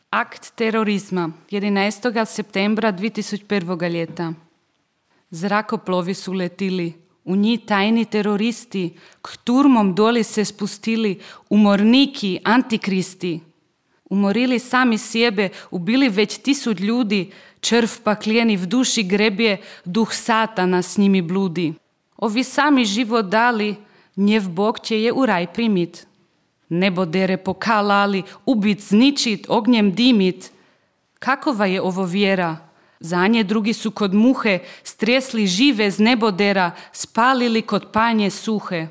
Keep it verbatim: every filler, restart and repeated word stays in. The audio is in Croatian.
Akt terorizma jedanaestog septembra dve tisoč prvega leta. Zrakoplovi su letili, u njih tajni teroristi, k turmom doli se spustili, umorniki, antikristi. Umorili sami sebe, ubili već tisuć ljudi, črv paklijeni v duši grebje, duh satana s njimi bludi. Ovi sami život dali, njev Bog će je u raj primit. Nebodere pokalali, ubit, zničit, ognjem dimit. Kakova je ovo vjera? Za nje drugi su kod muhe, stresli žive z nebodera, spalili kod panje suhe.